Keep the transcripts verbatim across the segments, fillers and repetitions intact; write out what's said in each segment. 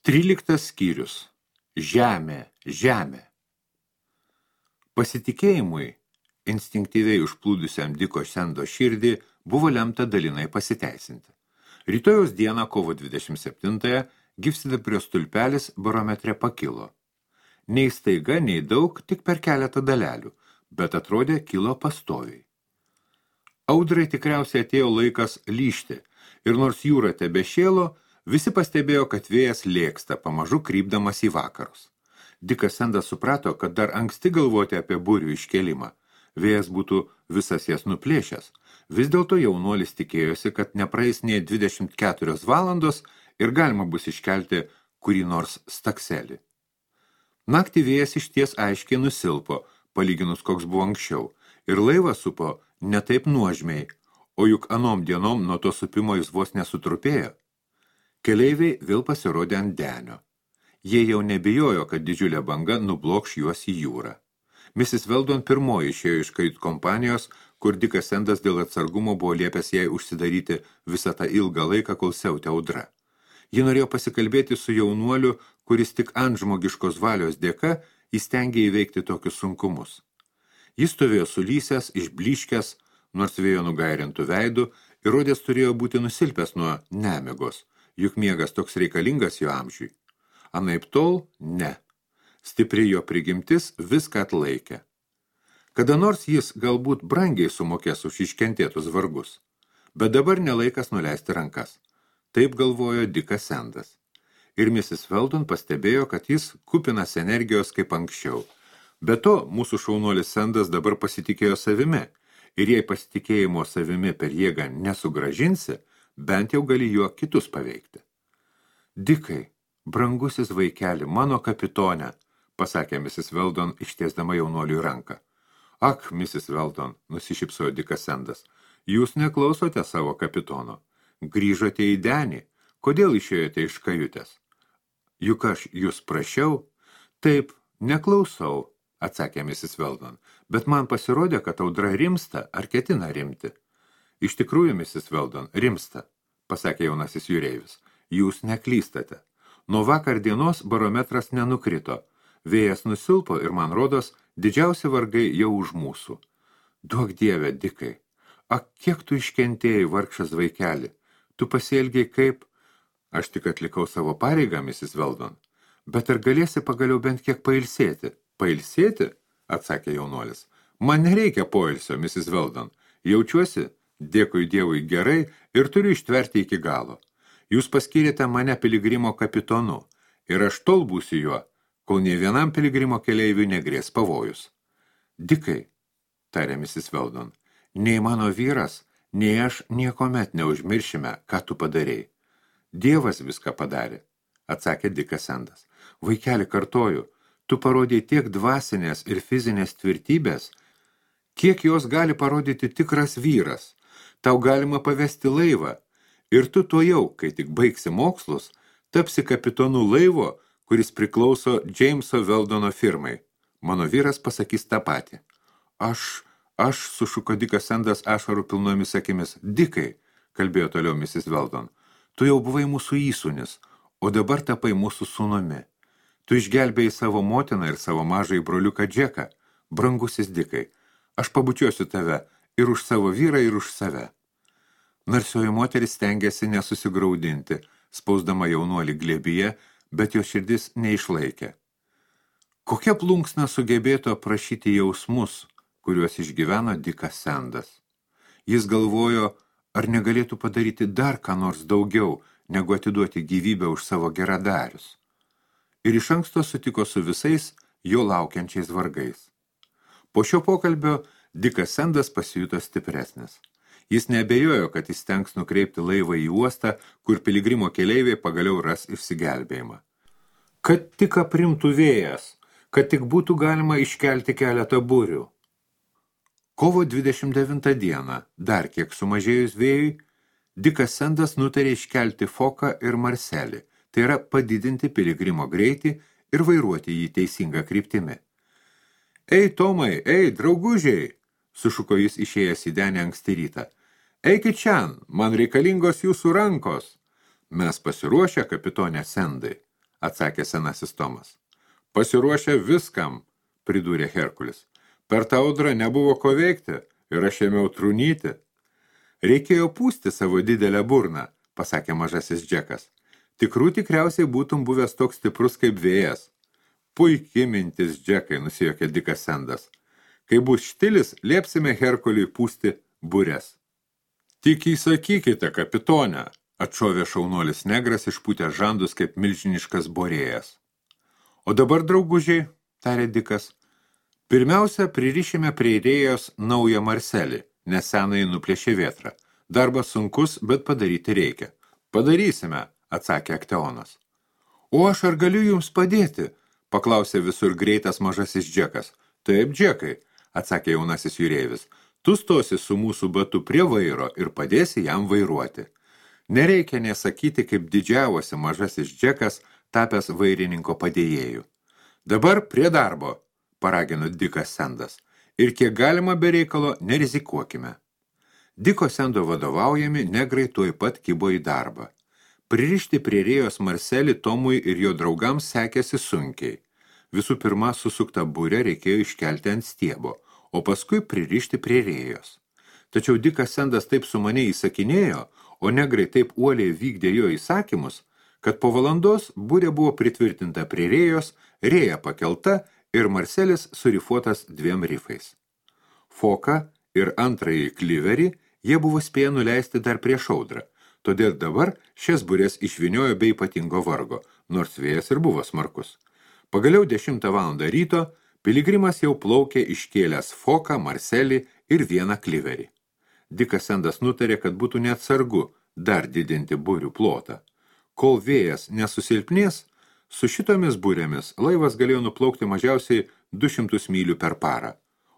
Tryliktas skyrius. Žemė, žemė. Pasitikėjimui, instinktyviai užplūdusiam Diko Sendo širdį, buvo lemta dalinai pasiteisinti. Rytojaus dieną, kovo dvidešimt septintąją, gyvsidabrio stulpelis barometre pakilo. Nei staiga, nei daug, tik per keletą dalelių, bet atrodė kilo pastoviai. Audrai tikriausiai atėjo laikas lyžti, ir nors jūra tebešėlo, visi pastebėjo, kad vėjas lėksta, pamažu krypdamas į vakarus. Dikas Sendas suprato, kad dar anksti galvoti apie burių iškėlimą. Vėjas būtų visas jas nuplėšęs. Vis dėlto jaunuolis tikėjosi, kad nepraeis nei dvidešimt keturios valandos ir galima bus iškelti kurį nors stakselį. Naktį vėjas išties aiškiai nusilpo, palyginus koks buvo anksčiau, ir laivą supo ne taip nuožmiai, o juk anom dienom nuo to supimo jis vos nesutrupėjo. Keleiviai vėl pasirodė ant denio. Jie jau nebijojo, kad didžiulė banga nublokš juos į jūrą. misis Weldon pirmoji išėjo iš kajut kompanijos, kur Dikas Sendas dėl atsargumo buvo liepęs jai užsidaryti visą tą ilgą laiką, kol siautė audra. Ji norėjo pasikalbėti su jaunuoliu, kuris tik ant žmogiškos valios dėka įstengė įveikti tokius sunkumus. Jis stovėjo sulysęs, išblyškęs, nors vėjo nugairintų veidų, ir rodės turėjo būti nusilpęs nuo nemigos, juk miegas toks reikalingas jo amžiui. Anaip tol, ne. Stipri jo prigimtis viską atlaikė. Kada nors jis galbūt brangiai sumokės už iškentėtus vargus, bet dabar nelaikas nuleisti rankas. Taip galvojo Dikas Sendas. Ir misis Weldon pastebėjo, kad jis kupinas energijos kaip anksčiau. Be to, mūsų šaunuolis Sendas dabar pasitikėjo savimi, ir jei pasitikėjimo savimi per jėgą nesugražinsi, bent jau gali juo kitus paveikti. Dikai, brangusis vaikeli, mano kapitone, pasakė misis Weldon, ištiesdama jaunuoliui ranką. Ak, misis Weldon, nusišypsojo Dikas Sendas, jūs neklausote savo kapitono. Grįžote į denį. Kodėl išėjote iš kajutės? Juk aš jūs prašiau? Taip, neklausau, atsakė misis Weldon, bet man pasirodė, kad audra rimsta ar ketina rimti. Iš tikrųjų, misis Weldon, rimsta, pasakė jaunasis jūreivis. Jūs neklystate. Nuo vakar dienos barometras nenukrito. Vėjas nusilpo ir, man rodos, didžiausi vargai jau už mūsų. Duok Dieve, Dikai. Ak, kiek tu iškentėjai, vargšas vaikeli. Tu pasielgiai kaip... Aš tik atlikau savo pareigą, misis Weldon. Bet ar galėsi pagaliau bent kiek pailsėti? Pailsėti? Atsakė jaunuolis. Man nereikia poilsio, misis Weldon. Jaučiuosi, dėkui Dievui, gerai ir turiu ištverti iki galo. Jūs paskyrėte mane piligrimo kapitonu ir aš tol būsiu juo, kol nei vienam piligrimo keleiviui negrės pavojus. Dikai, tarė misis Weldon, nei mano vyras, nei aš niekomet neužmiršime, ką tu padarei. Dievas viską padarė, atsakė Dikas Sendas. Vaikeli, kartoju, tu parodėjai tiek dvasinės ir fizinės tvirtybės, kiek jos gali parodyti tikras vyras. Tau galima pavesti laivą, ir tu to jau, kai tik baigsi mokslus, tapsi kapitonu laivo, kuris priklauso Jameso Weldono firmai. Mano vyras pasakys tą patį. Aš, aš, sušuko Dikas Sendas ašarų pilnomis akimis. Dikai, kalbėjo toliau misis Weldon, tu jau buvai mūsų įsūnis, o dabar tapai mūsų sūnumi. Tu išgelbėjai savo motiną ir savo mažąjį broliuką Džeką. Brangusis Dikai, aš pabučiuosiu tave ir už savo vyrą, ir už save. Narsioji moteris stengėsi nesusigraudinti, spausdama jaunuolį glėbyje, bet jo širdis neišlaikė. Kokia plunksna sugebėtų aprašyti jausmus, kuriuos išgyveno Dikas Sendas? Jis galvojo, ar negalėtų padaryti dar ką nors daugiau, negu atiduoti gyvybę už savo geradarius. Ir iš anksto sutiko su visais jo laukiančiais vargais. Po šio pokalbio Dikas Sendas pasijuto stipresnis. Jis neabejojo, kad jis tenks nukreipti laivą į uostą, kur piligrimo keleiviai pagaliau ras išsigelbėjimą. Kad tik aprimtų vėjas, kad tik būtų galima iškelti keletą burių. Kovo dvidešimt devintą dieną, dar kiek sumažėjus vėjui, Dikas Sendas nutarė iškelti foką ir marselį, tai yra padidinti piligrimo greitį ir vairuoti jį teisingą kryptimi. Ei, Tomai, ei, draugužiai, sušuko jis išėjęs į denį anksti rytą. Eikit čian, man reikalingos jūsų rankos. Mes pasiruošę, kapitonė Sendai, atsakė senasis Tomas. Pasiruošę viskam, pridūrė Herkulis. Per tą audrą nebuvo ko veikti ir aš ėmiau trūnyti. Reikėjo pūsti savo didelę burną, pasakė mažasis Džekas. Tikrų tikriausiai būtum buvęs toks stiprus kaip vėjas. Puiki mintis, Džekai, nusijuokė Dikas Sendas. Kai bus štilis, liepsime Herkuliui pūsti burės. Tik įsakykite, kapitone, atšovė šaunuolis negras išpūtė žandus kaip milžiniškas borėjas. O dabar, draugužiai, tarė Dikas, pirmiausia, pririšime prie rėjos naują Marselį, nes senai nuplėšė vėtrą. Darbas sunkus, bet padaryti reikia. Padarysime, atsakė Akteonas. O aš ar galiu jums padėti? Paklausė visur greitas mažasis Džekas. Taip, Džekai, atsakė jaunasis jūreivis. Tu stosi su mūsų batu prie vairo ir padėsi jam vairuoti. Nereikia nesakyti, kaip didžiavosi mažasis Džekas, tapęs vairininko padėjėjų. Dabar prie darbo, paragino Dikas Sendas. Ir kiek galima be reikalo, nerizikuokime. Diko Sendo vadovaujami negrai tuoj pat kibo į darbą. Pririšti prie rėjos Marselį Tomui ir jo draugams sekėsi sunkiai. Visų pirma, susuktą burę reikėjo iškelti ant stiebo, o paskui pririšti prie rėjos. Tačiau Dikas Sendas taip sumaniai įsakinėjo, o negrai taip uoliai vykdė jo įsakymus, kad po valandos burė buvo pritvirtinta prie rėjos, rėja pakelta ir Marselis surifuotas dviem rifais. Foką ir antrąjį kliverį jie buvo spėję nuleisti dar prieš audrą, todėl dabar šias burės išviniojo be ypatingo vargo, nors vėjas ir buvo smarkus. Pagaliau dešimtą valandą ryto piligrimas jau plaukė iškėlęs foką, Marselį ir vieną kliverį. Dikas Sendas nutarė, kad būtų neatsargu dar didinti burių plotą. Kol vėjas nesusilpnės, su šitomis burėmis laivas galėjo nuplaukti mažiausiai du šimtus mylių per parą,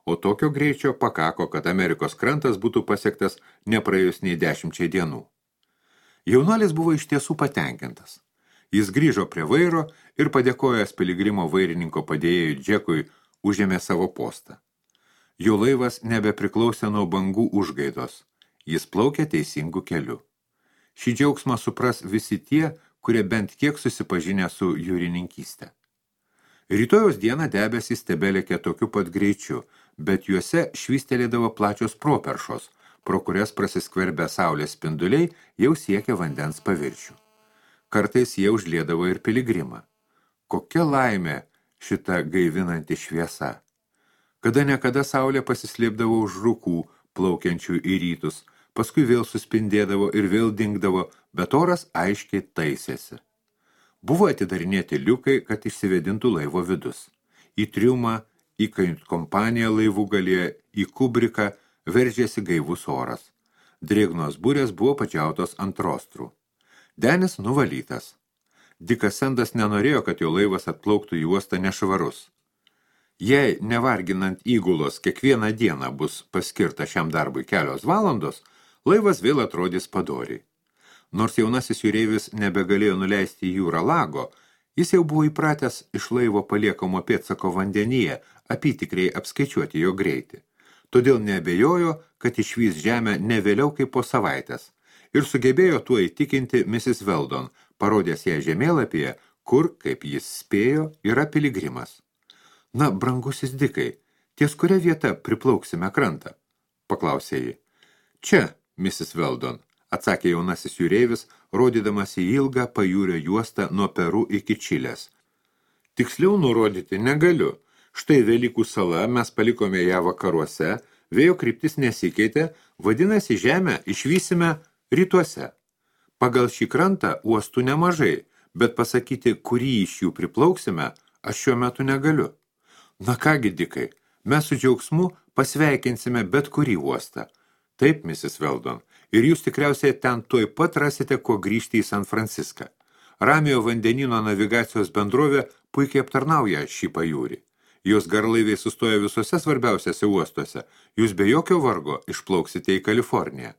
o tokio greičio pakako, kad Amerikos krantas būtų pasiektas nepraėjus nei dešimčiai dienų. Jaunuolis buvo iš tiesų patenkintas. Jis grįžo prie vairo ir padėkojęs piligrimo vairininko padėjėjui Džekui užėmė savo postą. Jo laivas nebepriklausė nuo bangų užgaidos. Jis plaukė teisingų keliu. Šį džiaugsmą supras visi tie, kurie bent kiek susipažinę su jūrininkystė. Rytojos dieną debesys tebelėkė tokiu pat greičiu, bet juose švystelėdavo plačios properšos, pro kurias prasiskverbę saulės spinduliai jau siekė vandens paviršių. Kartais jie užliedavo ir piligrimą. Kokia laimė šita gaivinanti šviesa! Kada nekada saulė pasislėpdavo už rūkų, plaukiančių į rytus, paskui vėl suspindėdavo ir vėl dingdavo, bet oras aiškiai taisėsi. Buvo atidarinėti liukai, kad išsivedintų laivo vidus. Į triumą, į kompaniją laivų galėje, į kubriką veržėsi gaivus oras. Drėgnos burės buvo padžiautos ant rostrų. Denis nuvalytas. Dikas Sendas nenorėjo, kad jo laivas atplauktų į uostą nešvarus. Jei nevarginant įgulos kiekvieną dieną bus paskirta šiam darbui kelios valandos, laivas vėl atrodys padoriai. Nors jaunasis jūreivis nebegalėjo nuleisti į jūrą lago, jis jau buvo įpratęs iš laivo paliekamo pėdsako vandenyje apytikriai apskaičiuoti jo greitį. Todėl neabejojo, kad išvys žemę ne vėliau kaip po savaitės ir sugebėjo tuo įtikinti misis Weldon, parodęs ją žemėlapyje, kur, kaip jis spėjo, yra piligrimas. Na, brangusis Dikai, ties kuria vieta priplauksime krantą? Paklausė jį. Čia, misis Weldon, atsakė jaunasis jūreivis, rodydamas į ilgą pajūrio juostą nuo Peru iki Čilės. Tiksliau nurodyti negaliu. Štai Velykų sala, mes palikome ją vakaruose, vėjo kryptis nesikeitė, vadinasi žemę išvysime rytuose. Pagal šį krantą uostų nemažai, bet pasakyti, kurį iš jų priplauksime, aš šiuo metu negaliu. Na kągi, Dikai, mes su džiaugsmu pasveikinsime bet kurį uostą. Taip, misis Weldon, ir jūs tikriausiai ten tuoj pat rasite, ko grįžti į San Franciską. Ramiojo vandenyno navigacijos bendrovė puikiai aptarnauja šį pajūrį. Jos garlaiviai sustoja visose svarbiausiose uostuose. Jūs be jokio vargo išplauksite į Kaliforniją.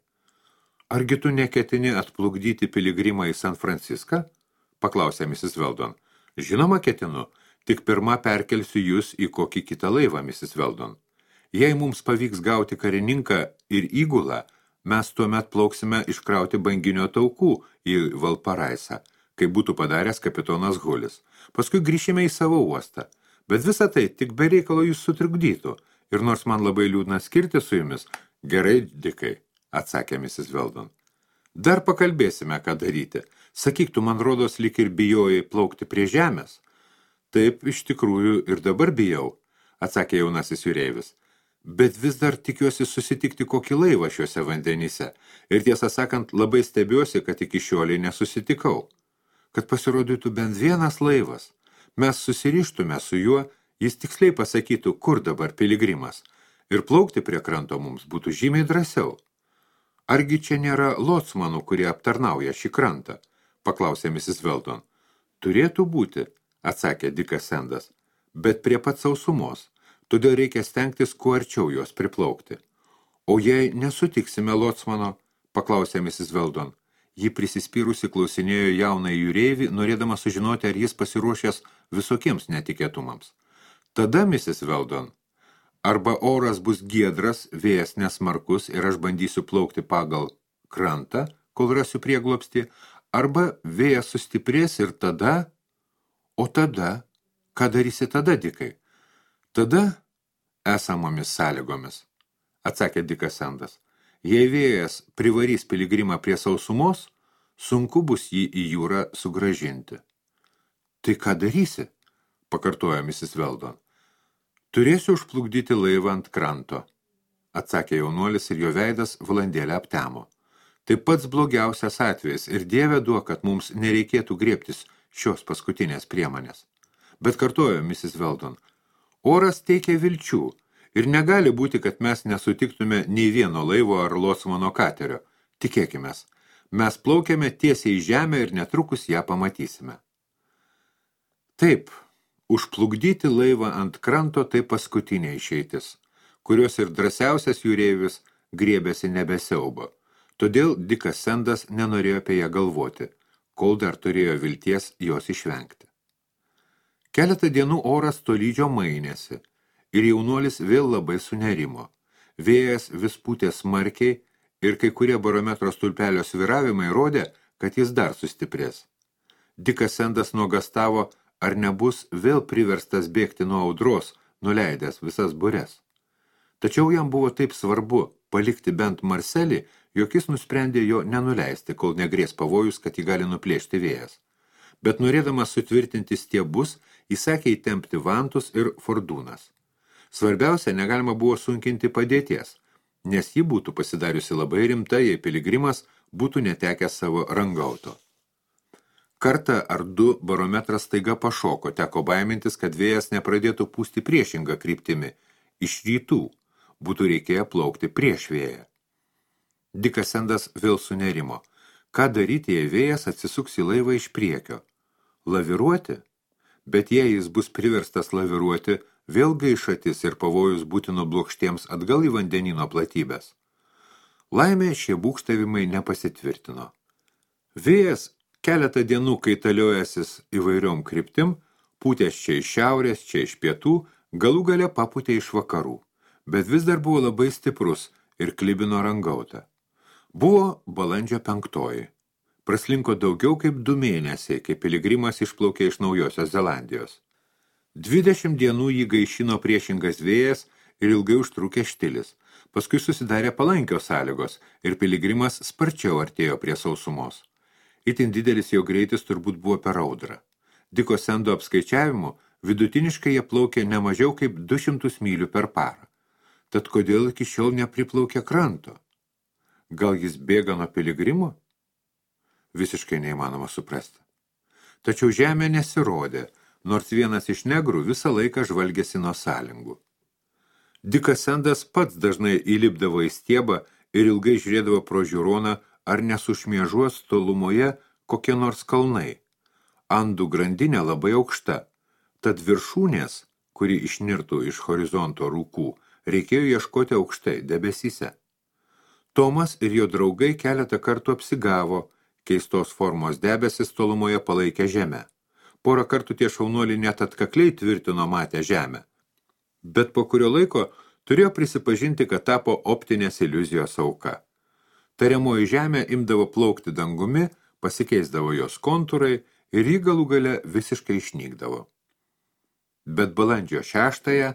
Argi tu neketini atplukdyti piligrimą į San Franciską? Paklausė misis Weldon. Žinoma ketinu, tik pirma perkelsiu jūs į kokį kitą laivą, misis Weldon. Jei mums pavyks gauti karininką ir įgulą, mes tuomet plauksime iškrauti banginio taukų į Valparaisą. kaip būtų padaręs kapitonas Hulis. Paskui grįšime į savo uostą. Bet visa tai tik be reikalo jūs sutrukdytų. Ir nors man labai liūdna skirti su jumis, gerai, Dikai, atsakė misis Weldon. Dar pakalbėsime, ką daryti. Sakyk, tu man rodos lyg ir bijojai plaukti prie žemės. Taip, iš tikrųjų, ir dabar bijau, atsakė jaunasis jūreivis. Bet vis dar tikiuosi susitikti kokį laivą šiuose vandenyse. Ir tiesą sakant, labai stebiuosi, kad iki šioliai nesusitikau. Kad pasirodytų bent vienas laivas. Mes susirištume su juo, jis tiksliai pasakytų, kur dabar piligrimas. Ir plaukti prie kranto mums būtų žymiai drąsiau. Argi čia nėra lotsmanų, kurie aptarnauja šį krantą? Paklausė misis Weldon. Turėtų būti, atsakė Dikas Sendas, bet prie pat sausumos. Todėl reikia stengtis kuo arčiau jos priplaukti. O jei nesutiksime lotsmano, paklausė misis Weldon. Ji prisispyrusi klausinėjo jauną jūreivį, norėdama sužinoti, ar jis pasiruošęs visokiems netikėtumams. Tada, misis Weldon, arba oras bus giedras, vėjas nesmarkus ir aš bandysiu plaukti pagal krantą, kol rasiu prieglobstį, arba vėjas sustiprės ir tada, o tada, ką darysi tada, Dikai? Tada esamomis sąlygomis, atsakė Dikas Sendas. Jei vėjas privarys piligrimą prie sausumos, sunku bus jį į jūrą sugražinti. Tai ką darysi? Pakartojo misis Weldon. Turėsiu užplukdyti laivą ant kranto, atsakė jaunuolis ir jo veidas valandėlę aptemo. Tai pats blogiausias atvejis ir Dieve duok, kad mums nereikėtų griebtis šios paskutinės priemonės. Bet kartojo misis Weldon, oras teikia vilčių ir negali būti, kad mes nesutiktume nei vieno laivo ar lotsmano katerio. Tikėkimės, mes plaukiame tiesiai į žemę ir netrukus ją pamatysime. Taip, užplukdyti laivą ant kranto tai paskutinė išeitis, kurios ir drąsiausias jūreivis griebėsi nebesiaubo. Todėl Dikas Sendas nenorėjo apie ją galvoti, kol dar turėjo vilties jos išvengti. Keletą dienų oras tolydžio mainėsi ir jaunuolis vėl labai sunerimo. Vėjas vis pūtė smarkiai ir kai kurie barometro stulpelio svyravimai rodė, kad jis dar sustiprės. Dikas Sendas nuogastavo, ar nebus vėl priverstas bėgti nuo audros, nuleidęs visas bures. Tačiau jam buvo taip svarbu palikti bent Marselį, jog jis nusprendė jo nenuleisti, kol negrės pavojus, kad jį gali nuplėšti vėjas. Bet norėdamas sutvirtinti stiebus, įsakė įtempti vantus ir fordūnas. Svarbiausia, negalima buvo sunkinti padėties, nes ji būtų pasidariusi labai rimta, jei piligrimas būtų netekęs savo rangauto. Kartą ar du barometras staiga pašoko, teko baimintis, kad vėjas nepradėtų pūsti priešingą kryptimi, iš rytų, būtų reikėję plaukti prieš vėją. Dikas Sendas vėl sunerimo. Ką daryti, jei vėjas atsisuks į laivą iš priekio? Laviruoti? Bet jei jis bus priverstas laviruoti, vėl gaišatis ir pavojus būti nublokštiems atgal į vandenino platybės. Laimė šie būgštavimai nepasitvirtino. Vėjas keletą dienų kaitaliojasis įvairiom kryptim, pūtės čia iš šiaurės, čia iš pietų, galų gale papūtė iš vakarų, bet vis dar buvo labai stiprus ir klibino rangautą. Buvo balandžio penktoji. Praslinko daugiau kaip du mėnesiai, kai piligrimas išplaukė iš Naujosios Zelandijos. Dvidešimt dienų jį gaišino priešingas vėjas ir ilgai užtrukė štilis. Paskui susidarė palankios sąlygos ir piligrimas sparčiau artėjo prie sausumos. Itin didelis jo greitis turbūt buvo per audrą. Diko Sendo apskaičiavimu vidutiniškai jie plaukė ne mažiau kaip du šimtus mylių per parą. Tad kodėl iki šiol nepriplaukė kranto? Gal jis bėga nuo piligrimų? Visiškai neįmanoma suprasti. Tačiau žemė nesirodė, nors vienas iš negrų visą laiką žvalgėsi nuo sąlingų. Dikas Sendas pats dažnai įlipdavo į stiebą ir ilgai žiūrėdavo pro žiūroną, ar nesušmiežuos tolumoje kokie nors kalnai. Andų grandinė labai aukšta, tad viršūnės, kuri išnirtų iš horizonto rūkų, reikėjo ieškoti aukštai debesyse. Tomas ir jo draugai keletą kartų apsigavo, keistos formos debesis tolumoje palaikė žemę. Porą kartų tie šaunuoliai net atkakliai tvirtino matę žemę. Bet po kurio laiko turėjo prisipažinti, kad tapo optinės iliuzijos auka. Tariamoji žemė imdavo plaukti dangumi, pasikeisdavo jos kontūrai ir jį galų gale visiškai išnykdavo. Bet balandžio šeštąją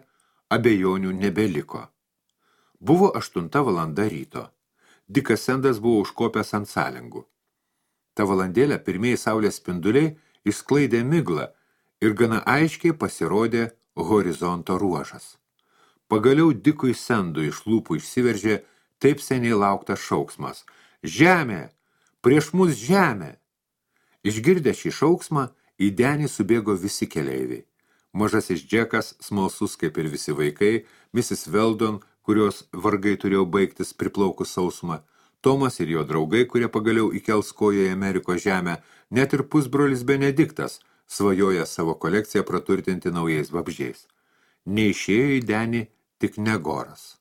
abejonių nebeliko. Buvo aštunta valanda ryto. Dikas Sendas buvo užkopęs ant sąlingų. Ta valandėlę pirmieji saulės spinduliai išsklaidė miglą ir gana aiškiai pasirodė horizonto ruožas. Pagaliau Dikui Sendui iš lūpų išsiveržė taip seniai lauktas šauksmas. Žemė! Prieš mus žemė! Išgirdę šį šauksmą, į denį subėgo visi keleiviai. Mažasis Džekas, smalsus kaip ir visi vaikai, misis Weldon, kurios vargai turėjo baigtis priplaukus sausumą, Tomas ir jo draugai, kurie pagaliau įkels koją į Amerikos žemę, net ir pusbrolis Benediktas, svajoja savo kolekciją praturtinti naujais vabzdžiais. Neišėjo į denį tik Negoras.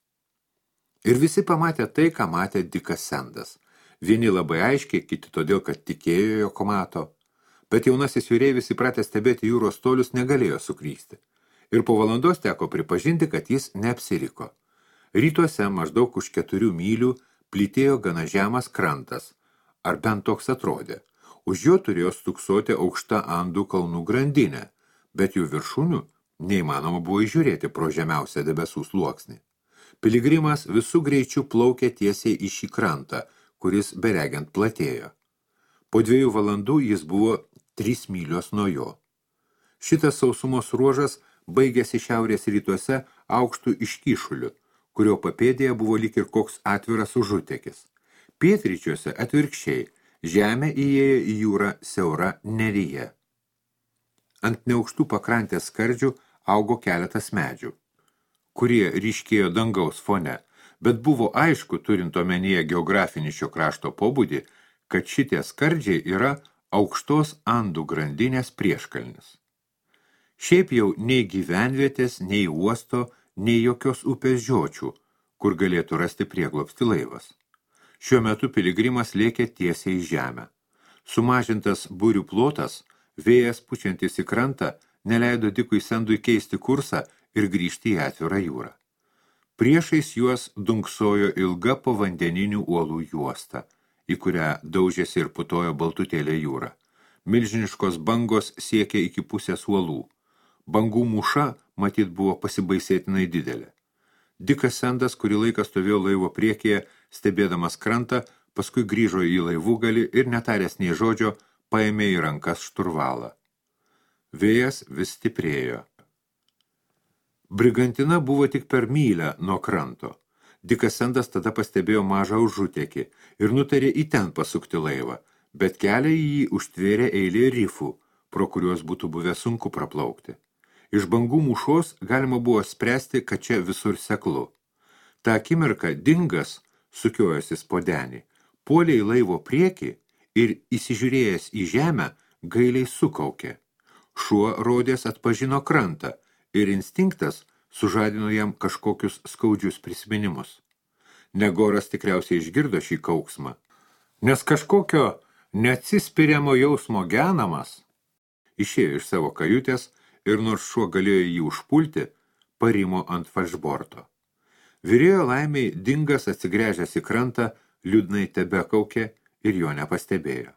Ir visi pamatė tai, ką matė Dikas Sendas. Vieni labai aiškiai, kiti todėl, kad tikėjo, jog mato. Bet jaunasis jūreivis įpratęs stebėti jūros tolius negalėjo sukrysti. Ir po valandos teko pripažinti, kad jis neapsiriko. Rytuose maždaug už keturių mylių plytėjo gana žemas krantas, ar bent toks atrodė. Už jo turėjo stuksoti aukšta Andų kalnų grandinė, bet jų viršūnių neįmanoma buvo įžiūrėti pro žemiausią debesų sluoksnį. Piligrimas visų greičių plaukė tiesiai į šį krantą, kuris beregiant platėjo. Po dviejų valandų jis buvo trys mylios nuo jo. Šitas sausumos ruožas baigėsi šiaurės rytuose aukštų iškyšuliu, kurio papėdėje buvo lyg ir koks atviras užutekis. Pietryčiuose atvirkščiai žemė įėjo į jūrą siaura neryje. Ant neaukštų pakrantės skardžių augo keletas medžių, kurie ryškėjo dangaus fone, bet buvo aišku, turint omenyje geografinį šio krašto pobūdį, kad šitie skardžiai yra aukštos Andų grandinės prieškalnis. Šiaip jau nei gyvenvietės, nei uosto, nei jokios upės žiočių, kur galėtų rasti prieglobstį laivas. Šiuo metu piligrimas lėkė tiesiai į žemę. Sumažintas burių plotas, vėjas pučiantis į krantą, neleido Dikui Sendui keisti kursą ir grįžti į atvirą jūrą. Priešais juos dunksojo ilga povandeninių uolų juosta, į kurią daužėsi ir putojo baltutėlė jūra. Milžiniškos bangos siekė iki pusės uolų. Bangų mūša, matyt, buvo pasibaisėtinai didelė. Dikas Sendas, kurį laiką stovėjo laivo priekyje, stebėdamas krantą, paskui grįžo į laivugalį ir netaręs nei žodžio, paėmė į rankas šturvalą. Vėjas vis stiprėjo. Brigantina buvo tik per mylę nuo kranto. Dikas Sendas tada pastebėjo mažą užutekį ir nutarė į ten pasukti laivą, bet kelią į jį užtvėrė eilė rifų, pro kuriuos būtų buvę sunku praplaukti. Iš bangų mūšos galima buvo spręsti, kad čia visur seklu. Ta akimirka Dingas, sukiojosis po denį, puolė į laivo priekį ir įsižiūrėjęs į žemę gailiai sukaukė. Šuo rodės atpažino krantą ir instinktas sužadino jam kažkokius skaudžius prisiminimus. Negoras tikriausiai išgirdo šį kauksmą, nes kažkokio neatsispiriamo jausmo genamas išėjo iš savo kajutės ir nors šuo galėjo jį užpulti, parimo ant falšborto. Vyrėjo laimiai Dingas atsigręžęs į krantą, liūdnai tebekaukė ir jo nepastebėjo.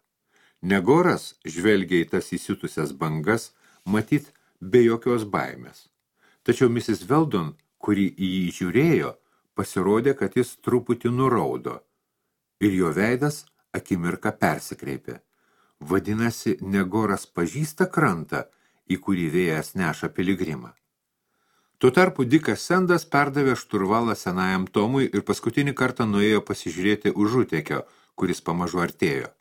Negoras žvelgė į tas įsiutusias bangas, matyt, be jokios baimės. Tačiau misis Weldon, kuri į jį žiūrėjo, pasirodė, kad jis truputį nuraudo ir jo veidas akimirką persikreipė. Vadinasi, Negoras pažįsta krantą, į kurį vėjas neša piligrimą. Tuo tarpu Dikas Sendas perdavė šturvalą senajam Tomui ir paskutinį kartą nuėjo pasižiūrėti užutekio, kuris pamažu artėjo.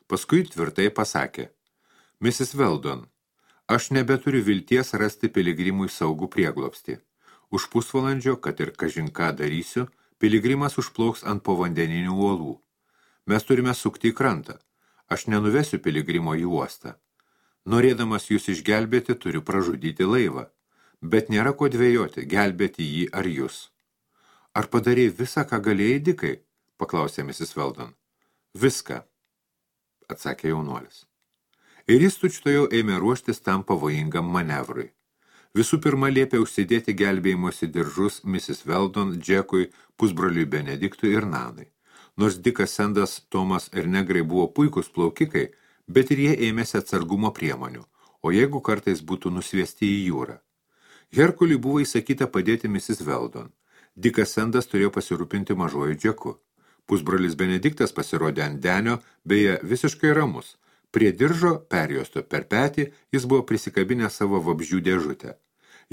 Paskui tvirtai pasakė: misis Weldon, aš nebeturiu vilties rasti piligrimui saugų prieglobstį. Už pusvalandžio, kad ir kažin ką darysiu, piligrimas užplauks ant povandeninių uolų. Mes turime sukti į krantą. Aš nenuvesiu piligrimo į uostą. Norėdamas jūs išgelbėti, turiu pražudyti laivą. Bet nėra ko dvejoti, gelbėti jį ar jūs. Ar padarėjai visą, ką galėjai, Dikai? Paklausė misis Weldon. Viską, atsakė jaunuolis. Ir jis tučtojau ėmė ruoštis tam pavojingam manevrui. Visų pirma liepė užsidėti gelbėjimosi diržus misis Weldon, Džekui, pusbroliui Benediktui ir Nanai. Nors Dikas Sendas, Tomas ir negrai buvo puikūs plaukikai, bet ir jie ėmėsi atsargumo priemonių, o jeigu kartais būtų nusviesti į jūrą. Herkuliui buvo įsakyta padėti misis Veldon. Dikas Sendas turėjo pasirūpinti mažuoju Džeku. Pusbrolis Benediktas pasirodė ant denio, beje, visiškai ramus. Prie diržo, perjuosto per petį, jis buvo prisikabinę savo vabzdžių dėžutę.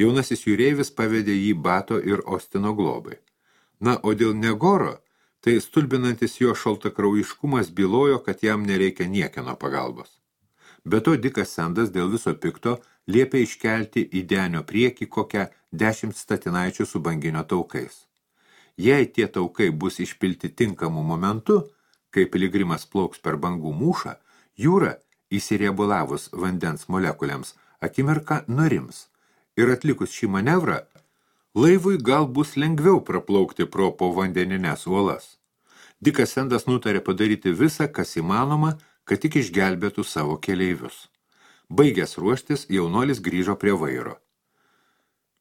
Jaunasis jūreivis pavedė jį Bato ir Ostino globai. Na, o dėl Negoro, tai stulbinantis jo šaltakraujiškumas bylojo, kad jam nereikia niekieno pagalbos. Be to, Dikas Sendas dėl viso pikto liepė iškelti į denio priekį kokią dešimt statinaičių su banginio taukais. Jei tie taukai bus išpilti tinkamu momentu, kai piligrimas plauks per bangų mūšą, jūra, įsiriebulavus vandens molekuliams, akimirką nurims. Ir atlikus šį manevrą, laivui gal bus lengviau praplaukti pro povandenines uolas. Dikas Sendas nutarė padaryti visą, kas įmanoma, kad tik išgelbėtų savo keleivius. Baigęs ruoštis, jaunuolis grįžo prie vairo.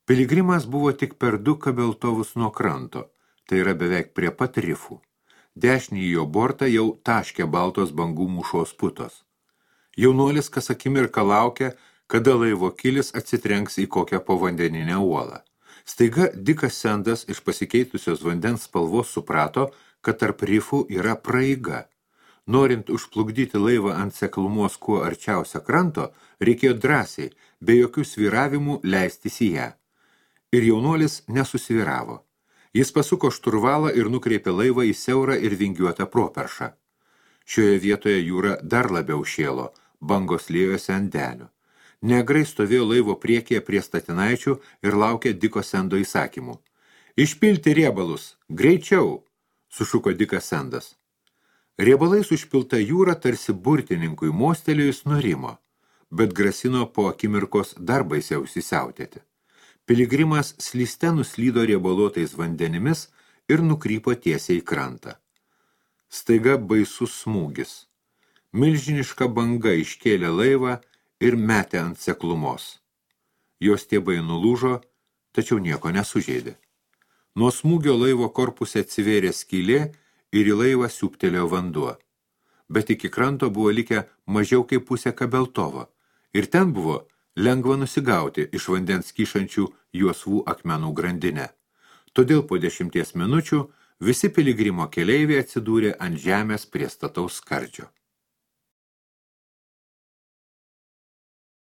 Piligrimas buvo tik per du kabeltovus nuo kranto, tai yra beveik prie pat rifų. Dešinį jo bortą jau taškė baltos bangų mūšos putos. Jaunuolis kas akimirką laukė, kada laivo kilis atsitrenks į kokią povandeninę uolą. Staiga Dikas Sendas iš pasikeitusios vandens spalvos suprato, kad tarp rifų yra praeiga. Norint užplukdyti laivą ant seklumos kuo arčiausia kranto, reikėjo drąsiai, be jokių svyravimų leistis į ją. Ir jaunuolis nesusvyravo. Jis pasuko šturvalą ir nukreipė laivą į siaurą ir vingiuotą properšą. Šioje vietoje jūra dar labiau šėlo, bangos liejosi ant denio. Negrai stovėjo laivo priekyje prie statinaičių ir laukė Diko Sendo įsakymų. Išpilti riebalus, greičiau, sušuko Dikas Sendas. Riebalais užpilta jūra tarsi burtininkui mostelėjus nurimo, bet grasino po akimirkos dar baisiau įsisiautėti. Piligrimas slyste nuslydo riebaluotais vandenimis ir nukrypo tiesiai į krantą. Staiga baisus smūgis. Milžiniška banga iškėlė laivą ir metė ant seklumos. Jos stiebai nulūžo, tačiau nieko nesužeidė. Nuo smūgio laivo korpuse atsivėrė skylė ir į laivą siūptelėjo vanduo. Bet iki kranto buvo likę mažiau kaip pusė kabeltovo, ir ten buvo lengva nusigauti iš vandens kyšančių juosvų akmenų grandinę. Todėl po dešimties minučių visi piligrimo keleiviai atsidūrė ant žemės prie stataus skardžio.